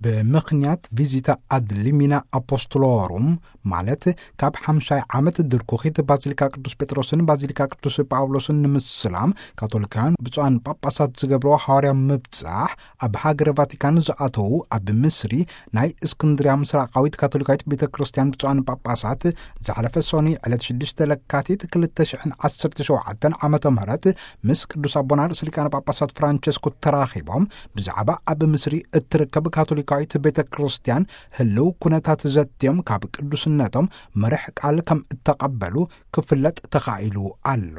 ብምኽንያት ቪዚታ ኣድሊሚና ኣፖስቶሎሩም፣ ማለት ካብ ሓምሻይ ዓመት ድርኩኺት ባዚሊካ ቅዱስ ጴጥሮስን ባዚሊካ ቅዱስ ጳውሎስን ንምስላም፣ ካቶሊካውያን ብፁዓን ጳጳሳት ዝገብርዎ ሃዋርያ ምብጻሕ፣ ኣብ ሃገረ ቫቲካን ዝኣተዉ ኣብ ምስሪ ናይ እስክንድርያ ምስራቃዊት ካቶሊካዊት ቤተ ክርስቲያን ብፁዓን ጳጳሳት፣ ዝሓለፈ ሶኒ ዕለት ሽዱሽተ ለካቲት ክልተ ሽሕን ዓሰርተ ሸውዓተን ዓመተ ምህረት ምስ ቅዱስ ኣቦና ርእሰ ሊቃነ ጳጳሳት ፍራንቸስኮ ተራኺቦም፣ ብዛዕባ ኣብ ምስሪ እትርከብ ካቶሊካዊት ቤተ ክርስቲያን ህልው ኩነታት ዘትዮም ካብ ቅዱስነቶም መርሕ ቃል ከም እተቐበሉ ክፍለጥ ተኻኢሉ ኣሎ።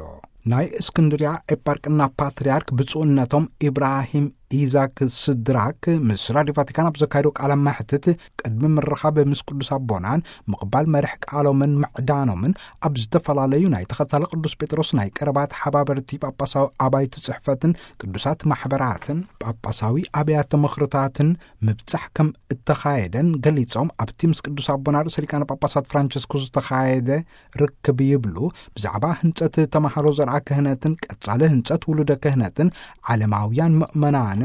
ናይ እስክንድርያ ኤጳርቅና ፓትርያርክ ብፁዕነቶም ኢብራሂም ኢዛክ ስድራክ ምስ ራዲዮ ቫቲካን ኣብ ዘካየዶ ቃለ መሕትት፣ ቅድሚ ምርኻብ ምስ ቅዱስ ኣቦናን ምቕባል መርሕ ቃሎምን ምዕዳኖምን፣ ኣብ ዝተፈላለዩ ናይ ተኸታሊ ቅዱስ ጴጥሮስ ናይ ቀረባ ተሓባበርቲ ጳጳሳዊ ኣባይቲ ጽሕፈትን ቅዱሳት ማሕበራትን ጳጳሳዊ ኣብያተ ምኽርታትን ምብጻሕ ከም እተኻየደን ገሊጾም፣ ኣብቲ ምስ ቅዱስ ኣቦና ርእሰ ሊቃነ ጳጳሳት ፍራንቸስኮ ዝተኻየደ ርክብ ይብሉ፣ ብዛዕባ ህንጸት ተማሃሮ ዘርኣ ክህነትን ቀጻሊ ህንጸት ውሉደ ክህነትን ዓለማውያን ምእመናንን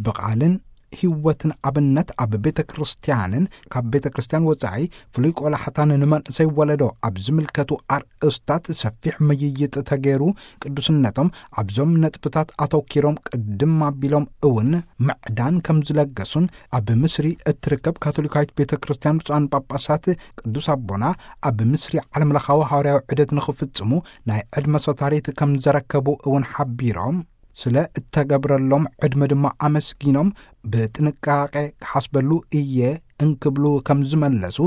ብቓልን ህይወትን ኣብነት ኣብ ቤተ ክርስቲያንን ካብ ቤተ ክርስቲያን ወጻኢ ፍሉይ ቆላሕታን ንመንእሰይ ወለዶ ኣብ ዝምልከቱ ኣርእስታት ሰፊሕ ምይይጥ ተገይሩ፣ ቅዱስነቶም ኣብዞም ነጥብታት ኣተኪሮም ቅድም ኣቢሎም እውን ምዕዳን ከም ዝለገሱን፣ ኣብ ምስሪ እትርከብ ካቶሊካዊት ቤተ ክርስቲያን ብፁዓን ጳጳሳት ቅዱስ ኣቦና ኣብ ምስሪ ዓለምለኻዊ ሃዋርያዊ ዑደት ንኽፍጽሙ ናይ ዕድመ ሶታሪት ከም ዘረከቡ እውን ሓቢሮም፣ ስለ እተገብረሎም ዕድመ ድማ ኣመስጊኖም፣ ብጥንቃቄ ክሓስበሉ እየ እንክብሉ ከም ዝመለሱ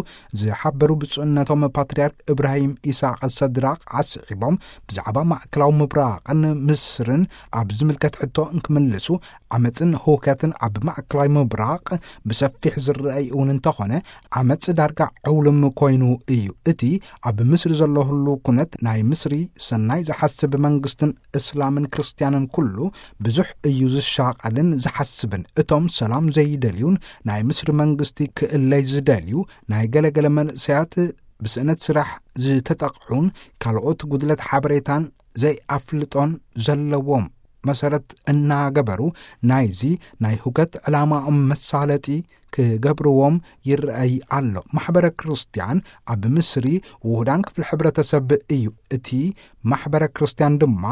ዝሓበሩ ብፁዕነቶም ፓትርያርክ እብራሂም ኢሳቅ ሰድራቅ ኣስዒቦም፣ ብዛዕባ ማእከላዊ ምብራቕን ምስርን ኣብ ዝምልከት ሕቶ እንክምልሱ፣ ዓመፅን ህውከትን ኣብ ማእከላዊ ምብራቕ ብሰፊሕ ዝረኣይ እውን እንተኾነ፣ ዓመፅ ዳርጋ ዕውልም ኮይኑ እዩ። እቲ ኣብ ምስሪ ዘሎ ህሉ ኩነት፣ ናይ ምስሪ ሰናይ ዝሓስብ መንግስትን እስላምን ክርስትያንን ኩሉ ብዙሕ እዩ ዝሻቐልን ዝሓስብን። እቶም ሰላም ዘይደልዩን ናይ ምስሪ መንግስቲ ክእለይ ዝደልዩ ናይ ገለገለ መንእሰያት ብስእነት ስራሕ ዝተጠቕዑን ካልኦት ጉድለት ሓበሬታን ዘይኣፍልጦን ዘለዎም መሰረት እናገበሩ፣ ናይዚ ናይ ሁከት ዕላማኦም መሳለጢ ክገብርዎም ይረኣይ ኣሎ። ማሕበረ ክርስቲያን ኣብ ምስሪ ውሁዳን ክፍሊ ሕብረተሰብ እዩ። እቲ ማሕበረ ክርስቲያን ድማ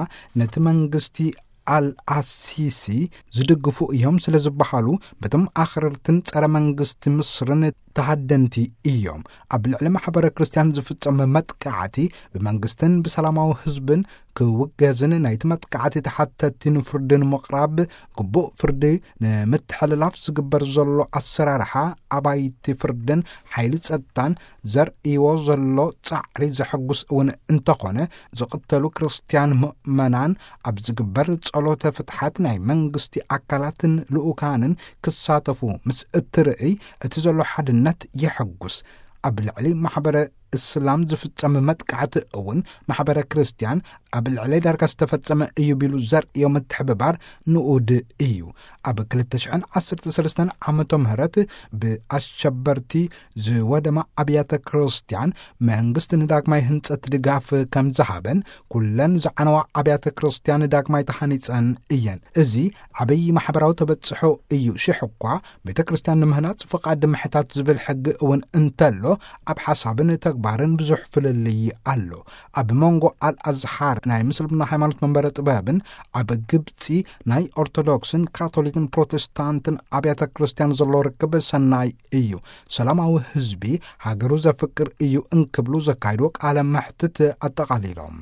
ነቲ መንግስቲ ኣልኣሲሲ ዝድግፉ እዮም ስለ ዝበሃሉ፣ በቶም ኣኽረርትን ጸረ መንግስቲ ምስርን ተሃደንቲ እዮም። ኣብ ልዕሊ ማሕበረ ክርስቲያን ዝፍጸም መጥቃዕቲ ብመንግስትን ብሰላማዊ ህዝብን ክውገዝን፣ ናይቲ መጥቃዕቲ ተሓተቲ ንፍርዲ ንምቕራብ፣ ግቡእ ፍርዲ ንምትሕልላፍ ዝግበር ዘሎ ኣሰራርሓ ኣባይቲ ፍርድን ሓይሊ ጸጥታን ዘርእይዎ ዘሎ ጻዕሪ ዘሐጉስ እውን እንተኾነ፣ ዝቕተሉ ክርስትያን ምእመናን ኣብ ዝግበር ጸሎተ ፍትሓት ናይ መንግስቲ ኣካላትን ልኡካንን ክሳተፉ ምስ እትርእይ፣ እቲ ዘሎ ሓድነት የሐጉስ። ኣብ ልዕሊ ማሕበረ እስላም ዝፍጸም መጥቃዕቲ እውን ማሕበረ ክርስትያን ኣብ ልዕሊ ዳርጋ ዝተፈጸመ እዩ ቢሉ ዘርእዮ ምትሕብባር ንኡድ እዩ። ኣብ ክልተ ሽሕን ዓሰርተ ሰለስተን ዓመተ ምህረት ብኣሸበርቲ ዝወደማ ኣብያተ ክርስትያን መንግስቲ ንዳግማይ ህንጸት ድጋፍ ከም ዝሃበን፣ ኩለን ዝዓነዋ ኣብያተ ክርስትያን ዳግማይ ተሃኒጸን እየን። እዚ ዓብዪ ማሕበራዊ ተበጽሖ እዩ። ሽሕ እኳ ቤተ ክርስትያን ንምህናጽ ፍቓድ ምሕታት ዝብል ሕጊ እውን እንተሎ፣ ኣብ ሓሳብን ተግባርን ብዙሕ ፍልልይ ኣሎ። ኣብ መንጎ ኣልኣዝሓር ናይ ምስልምና ሃይማኖት መንበረ ጥበብን ኣብ ግብጺ ናይ ኦርቶዶክስን ካቶሊክን ፕሮቴስታንትን ኣብያተ ክርስትያን ዘሎ ርክብ ሰናይ እዩ። ሰላማዊ ህዝቢ ሃገሩ ዘፍቅር እዩ እንክብሉ ዘካይድዎ ቃለ መሕትት ኣጠቓሊሎም።